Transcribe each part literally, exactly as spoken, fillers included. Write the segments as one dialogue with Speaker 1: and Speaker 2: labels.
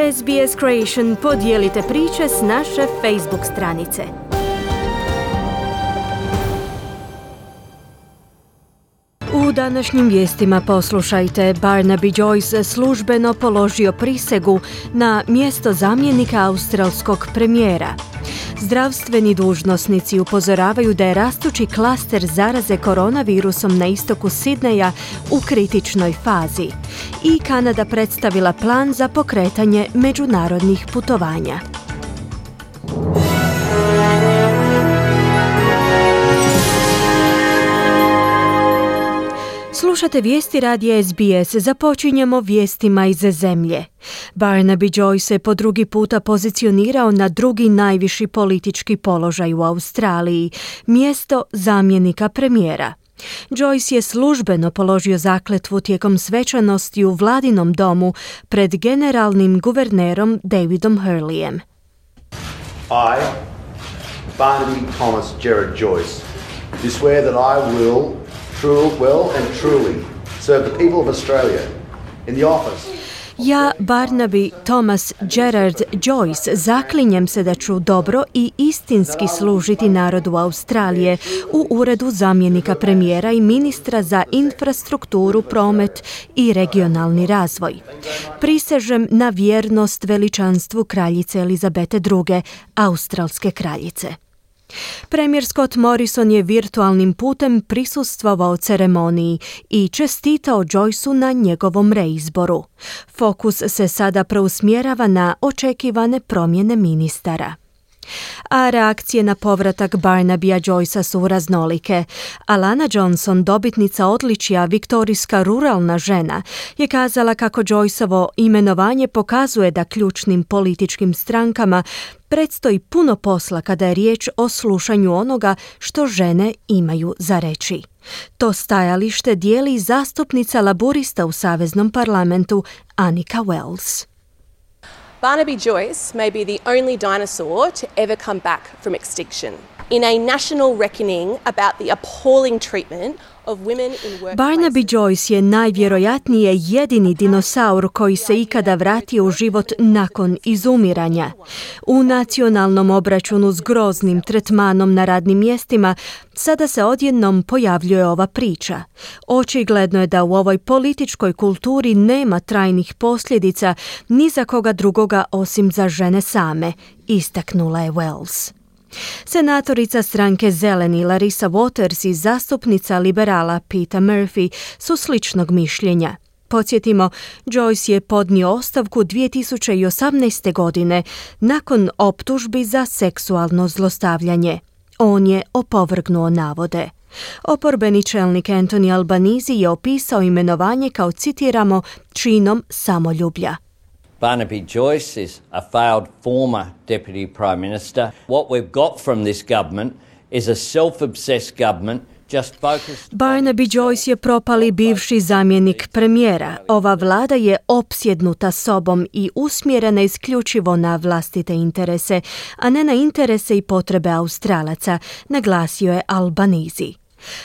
Speaker 1: S B S Creation, podijelite priče s naše Facebook stranice. U današnjim vijestima poslušajte, Barnaby Joyce službeno položio prisegu na mjesto zamjenika australskog premijera. Zdravstveni dužnosnici upozoravaju da je rastući klaster zaraze koronavirusom na istoku Sidneja u kritičnoj fazi. I Kanada predstavila plan za pokretanje međunarodnih putovanja. Slušate vijesti radija S B S, započinjemo vijestima iz zemlje. Barnaby Joyce se po drugi puta pozicionirao na drugi najviši politički položaj u Australiji, mjesto zamjenika premijera. Joyce je službeno položio zakletvu tijekom svečanosti u vladinom domu pred generalnim guvernerom Davidom Hurleyem.
Speaker 2: I, Barnaby Thomas Gerard Joyce, do swear that I will True, well and truly serve the people of Australia in the office.
Speaker 1: Ja, Barnaby Thomas Gerard Joyce, zaklinjem se da ću dobro i istinski služiti narodu Australije u uredu zamjenika premijera i ministra za infrastrukturu, promet i regionalni razvoj. Prisežem na vjernost veličanstvu kraljice Elizabete druge, australske kraljice. Premijer Scott Morrison je virtualnim putem prisustvovao ceremoniji i čestitao Joyceu na njegovom reizboru. Fokus se sada preusmjerava na očekivane promjene ministara. A reakcije na povratak Barnabya Joycea su raznolike. Alana Johnson, dobitnica odličja Viktorijska ruralna žena, je kazala kako Joyceovo imenovanje pokazuje da ključnim političkim strankama predstoji puno posla kada je riječ o slušanju onoga što žene imaju za reći. To stajalište dijeli zastupnica laburista u Saveznom parlamentu Annika Wells.
Speaker 3: Barnaby Joyce may be the only dinosaur to ever come back from extinction. In a national reckoning about the appalling treatment of women in workplaces.
Speaker 1: Barnaby Joyce je najvjerojatnije jedini dinosaur koji se ikada vratio u život nakon izumiranja. U nacionalnom obračunu s groznim tretmanom na radnim mjestima sada se odjednom pojavljuje ova priča. Očigledno je da u ovoj političkoj kulturi nema trajnih posljedica ni za koga drugoga osim za žene same, istaknula je Wells. Senatorica stranke Zeleni Larissa Waters i zastupnica liberala Peter Murphy su sličnog mišljenja. Podsjetimo, Joyce je podnio ostavku dvije tisuće osamnaeste. godine nakon optužbi za seksualno zlostavljanje. On je opovrgnuo navode. Oporbeni čelnik Anthony Albanese je opisao imenovanje kao, citiramo, činom samoljublja.
Speaker 4: Barnaby Joyce is a failed former Deputy Prime Minister. What we've got from this government is a self-obsessed government just focused...
Speaker 1: Barnaby Joyce je propali bivši zamjenik premijera. Ova vlada je opsjednuta sobom i usmjerena isključivo na vlastite interese, a ne na interese i potrebe Australaca, naglasio je Albanese.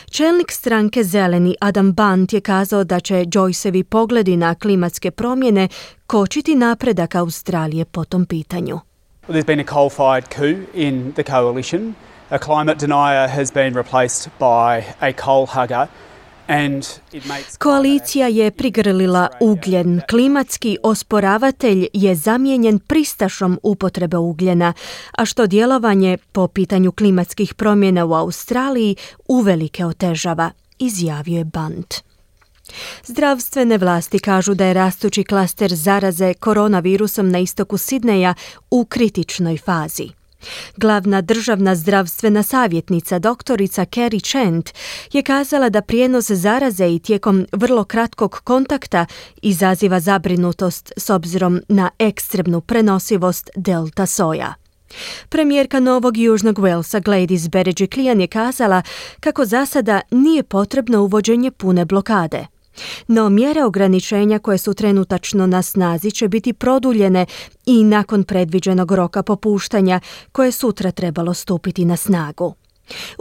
Speaker 1: Čelnik stranke Zeleni Adam Bant je kazao da će Joyceovi pogledi na klimatske promjene kočiti napredak Australije po tom pitanju.
Speaker 5: There's been a coal-fired coup in the coalition. A climate denier has been replaced by a coal hugger.
Speaker 1: Koalicija je prigrlila ugljen. Klimatski osporavatelj je zamijenjen pristašom upotrebe ugljena, a što djelovanje po pitanju klimatskih promjena u Australiji uvelike otežava, izjavio je Bant. Zdravstvene vlasti kažu da je rastući klaster zaraze koronavirusom na istoku Sidneja u kritičnoj fazi. Glavna državna zdravstvena savjetnica doktorica Kerry Chant je kazala da prijenos zaraze i tijekom vrlo kratkog kontakta izaziva zabrinutost s obzirom na ekstremnu prenosivost delta soja. Premijerka Novog Južnog Walesa Gladys Berejiklian je kazala kako za sada nije potrebno uvođenje pune blokade. No mjere ograničenja koje su trenutačno na snazi će biti produljene i nakon predviđenog roka popuštanja koje sutra trebalo stupiti na snagu.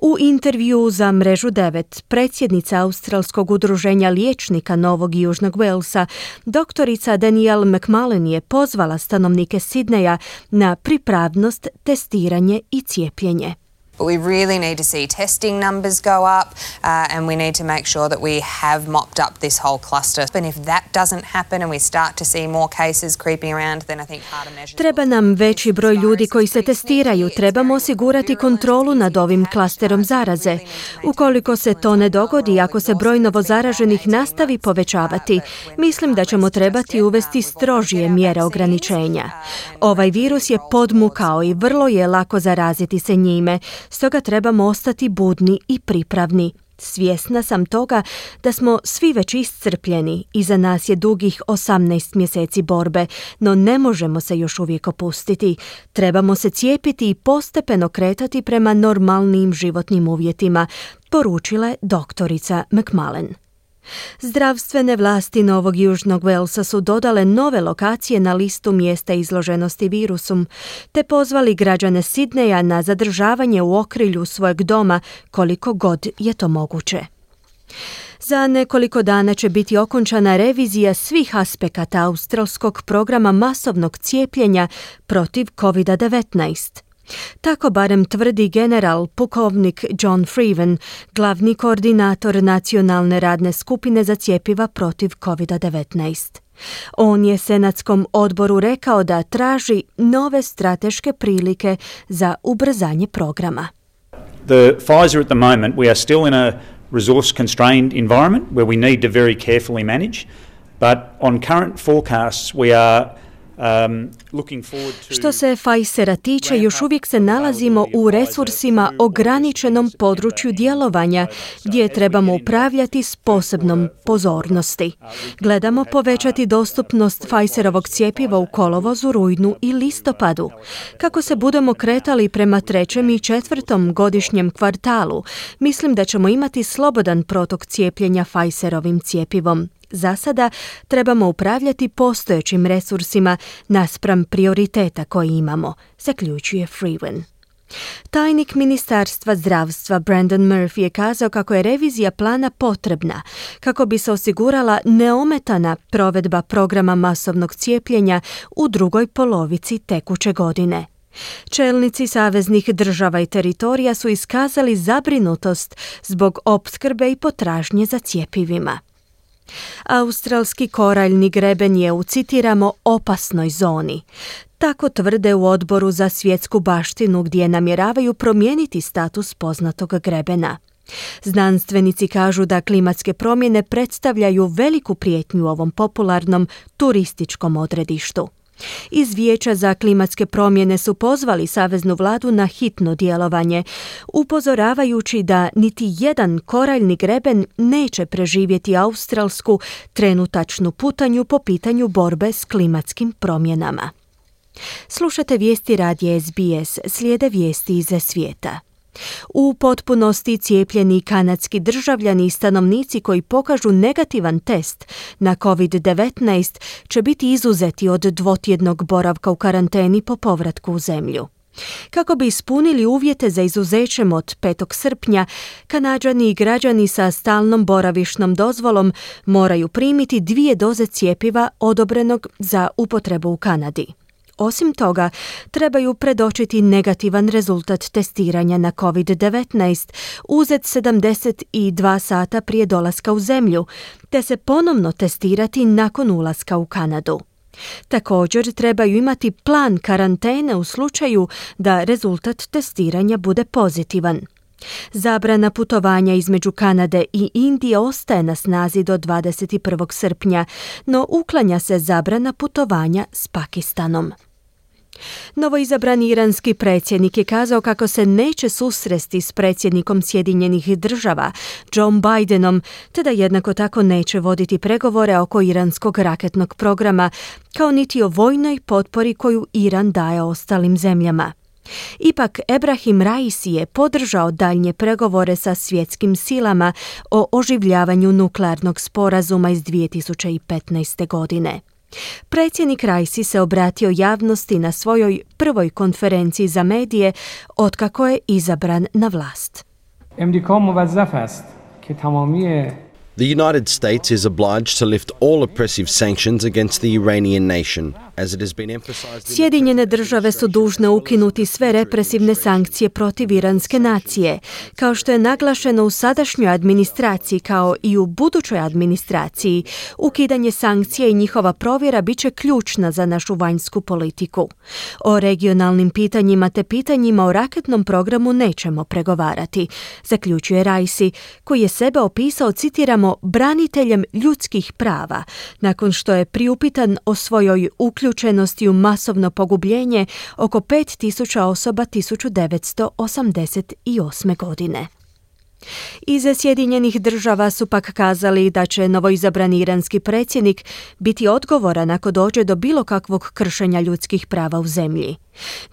Speaker 1: U intervju za Mrežu devet, predsjednica Australskog udruženja liječnika Novog i Južnog Walesa, doktorica Danielle McMullen je pozvala stanovnike Sidneja na pripravnost, testiranje i cijepljenje.
Speaker 6: But we really need to see testing numbers go up uh, and we need to make sure that we have mopped up this whole cluster. And if that doesn't happen and we start to see more cases creeping around, then I think harder measures...
Speaker 1: Treba nam veći broj ljudi koji se testiraju. Trebamo osigurati kontrolu nad ovim klasterom zaraze. Ukoliko se to ne dogodi, ako se broj novozaraženih nastavi povećavati, mislim da ćemo trebati uvesti strožije mjere ograničenja. Ovaj virus je podmukao i vrlo je lako zaraziti se njime. Stoga trebamo ostati budni i pripravni. Svjesna sam toga da smo svi već iscrpljeni. Iza nas je dugih osamnaest mjeseci borbe, no ne možemo se još uvijek opustiti. Trebamo se cijepiti i postepeno kretati prema normalnim životnim uvjetima, poručila je doktorica McMullen. Zdravstvene vlasti Novog Južnog Walesa su dodale nove lokacije na listu mjesta izloženosti virusom, te pozvali građane Sidneja na zadržavanje u okrilju svojeg doma koliko god je to moguće. Za nekoliko dana će biti okončana revizija svih aspekata australskog programa masovnog cijepljenja protiv covid devetnaest. Tako barem tvrdi general pukovnik John Freeman, glavni koordinator nacionalne radne skupine za cjepiva protiv covid devetnaest. On je senatskom odboru rekao da traži nove strateške prilike za ubrzanje programa.
Speaker 7: The Pfizer at the moment, we are still in a resource constrained environment where we need to very carefully manage, but on current forecasts we are Um,
Speaker 1: Što se Pfizera tiče, još uvijek se nalazimo u resursima ograničenom području djelovanja, gdje trebamo upravljati s posebnom pozornosti. Gledamo povećati dostupnost Pfizerovog cjepiva u kolovozu, rujnu i listopadu. Kako se budemo kretali prema trećem i četvrtom godišnjem kvartalu, mislim da ćemo imati slobodan protok cijepljenja Pfizerovim cjepivom. Za sada trebamo upravljati postojećim resursima naspram prioriteta koje imamo, zaključuje Freeman. Tajnik Ministarstva zdravstva Brandon Murphy je kazao kako je revizija plana potrebna kako bi se osigurala neometana provedba programa masovnog cijepljenja u drugoj polovici tekuće godine. Čelnici saveznih država i teritorija su iskazali zabrinutost zbog opskrbe i potražnje za cjepivima. Australski koraljni greben je u, citiramo, opasnoj zoni. Tako tvrde u odboru za svjetsku baštinu gdje namjeravaju promijeniti status poznatog grebena. Znanstvenici kažu da klimatske promjene predstavljaju veliku prijetnju ovom popularnom turističkom odredištu. Iz Vijeća za klimatske promjene su pozvali saveznu vladu na hitno djelovanje, upozoravajući da niti jedan koraljni greben neće preživjeti australsku trenutačnu putanju po pitanju borbe s klimatskim promjenama. Slušate vijesti radija S B S, slijede vijesti iz svijeta. U potpunosti cijepljeni kanadski državljani i stanovnici koji pokažu negativan test na covid devetnaest će biti izuzeti od dvotjednog boravka u karanteni po povratku u zemlju. Kako bi ispunili uvjete za izuzećem od petog srpnja, Kanađani i građani sa stalnom boravišnom dozvolom moraju primiti dvije doze cjepiva odobrenog za upotrebu u Kanadi. Osim toga, trebaju predočiti negativan rezultat testiranja na covid devetnaest uzet sedamdeset dva sata prije dolaska u zemlju, te se ponovno testirati nakon ulaska u Kanadu. Također trebaju imati plan karantene u slučaju da rezultat testiranja bude pozitivan. Zabrana putovanja između Kanade i Indije ostaje na snazi do dvadeset prvog srpnja, no uklanja se zabrana putovanja s Pakistanom. Novoizabrani iranski predsjednik je kazao kako se neće susresti s predsjednikom Sjedinjenih država, Joe Bidenom, te da jednako tako neće voditi pregovore oko iranskog raketnog programa, kao niti o vojnoj potpori koju Iran daje ostalim zemljama. Ipak, Ebrahim Raisi je podržao daljnje pregovore sa svjetskim silama o oživljavanju nuklearnog sporazuma iz dvije tisuće petnaeste. godine. Predsjednik Raisi se obratio javnosti na svojoj prvoj konferenciji za medije otkako je izabran na vlast.
Speaker 8: The United States is obliged to lift all oppressive sanctions against the Iranian nation, as it has been emphasized.
Speaker 1: Sjedinjene države su dužne ukinuti sve represivne sankcije protiv iranske nacije, kao što je naglašeno u sadašnjoj administraciji kao i u budućoj administraciji. Ukidanje sankcija i njihova provjera bit će ključna za našu vanjsku politiku. O regionalnim pitanjima te pitanjima o raketnom programu nećemo pregovarati, zaključuje Raisi, koji je sebe opisao, citiramo, braniteljem ljudskih prava, nakon što je priupitan o svojoj uključenosti u masovno pogubljenje oko pet tisuća osoba tisuću devetsto osamdeset osme. godine. Iz Sjedinjenih država su pak kazali da će novoizabrani iranski predsjednik biti odgovoran ako dođe do bilo kakvog kršenja ljudskih prava u zemlji.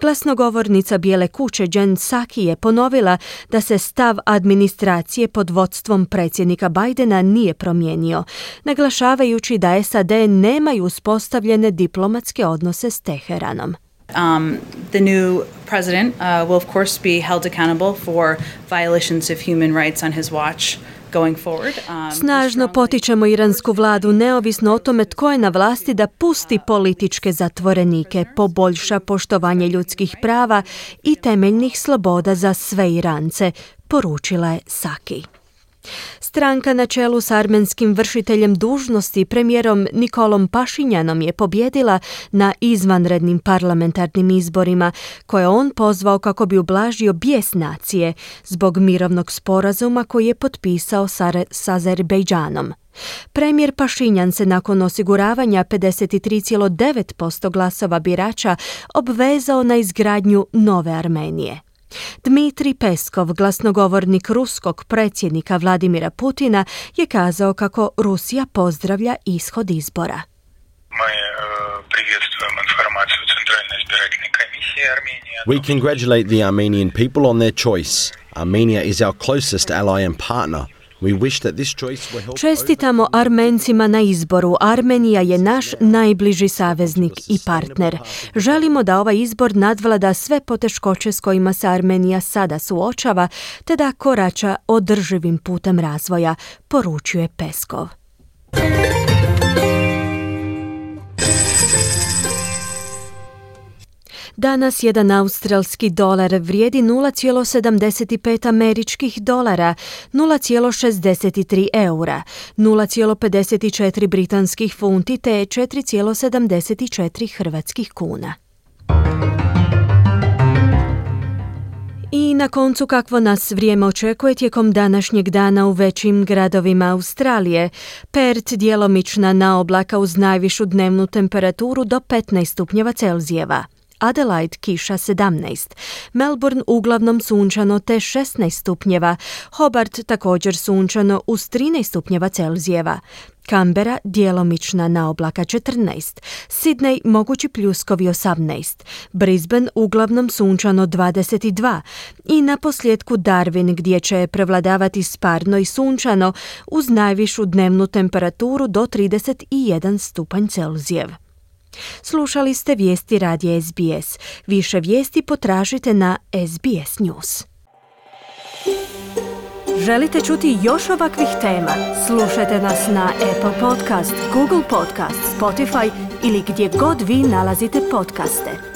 Speaker 1: Glasnogovornica Bijele kuće Jen Psaki je ponovila da se stav administracije pod vodstvom predsjednika Bidena nije promijenio, naglašavajući da S A D nemaju uspostavljene diplomatske odnose s Teheranom.
Speaker 9: Um, the new president uh, will of course be held accountable for violations of human rights on his watch going forward. Um,
Speaker 1: Snažno potičemo iransku vladu, neovisno o tome tko je na vlasti, da pusti političke zatvorenike, poboljša poštovanje ljudskih prava i temeljnih sloboda za sve Irance, poručila je Psaki. Stranka na čelu s armenskim vršiteljem dužnosti, premijerom Nikolom Pašinjanom, je pobjedila na izvanrednim parlamentarnim izborima, koje on pozvao kako bi ublažio bijes nacije zbog mirovnog sporazuma koji je potpisao s Azerbejdžanom. Premijer Pašinjan se nakon osiguravanja pedeset tri zarez devet posto glasova birača obvezao na izgradnju nove Armenije. Dmitrij Peskov, glasnogovornik ruskog predsjednika Vladimira Putina, je kazao kako Rusija pozdravlja ishod izbora.
Speaker 8: We congratulate the Armenian people on their choice. Armenia is our closest ally and partner. We wish that this choice will help.
Speaker 1: Čestitamo Armencima na izboru. Armenija je naš najbliži saveznik i partner. Želimo da ovaj izbor nadvlada sve poteškoće s kojima se Armenija sada suočava, te da korača održivim putem razvoja, poručuje Peskov. Danas jedan australski dolar vrijedi nula zarez sedamdeset pet američkih dolara, nula zarez šezdeset tri eura, nula zarez pedeset četiri britanskih funti te četiri zarez sedamdeset četiri hrvatskih kuna. I na koncu, kakvo nas vrijeme očekuje tijekom današnjeg dana u većim gradovima Australije. Perth djelomična naoblaka uz najvišu dnevnu temperaturu do petnaest stupnjeva Celzijeva. Adelaide kiša sedamnaest, Melbourne uglavnom sunčano te šesnaest stupnjeva, Hobart također sunčano uz trinaest stupnjeva Celzijeva, Canberra djelomična naoblaka četrnaest, Sydney mogući pljuskovi osamnaest, Brisbane uglavnom sunčano dvadeset dva i na posljedku Darwin gdje će prevladavati sparno i sunčano uz najvišu dnevnu temperaturu do trideset jedan stupanj Celzijev. Slušali ste vijesti radija S B S. Više vijesti potražite na S B S News. Želite čuti još ovakvih tema? Slušajte nas na Apple Podcast, Google Podcast, Spotify ili gdje god vi nalazite podcaste.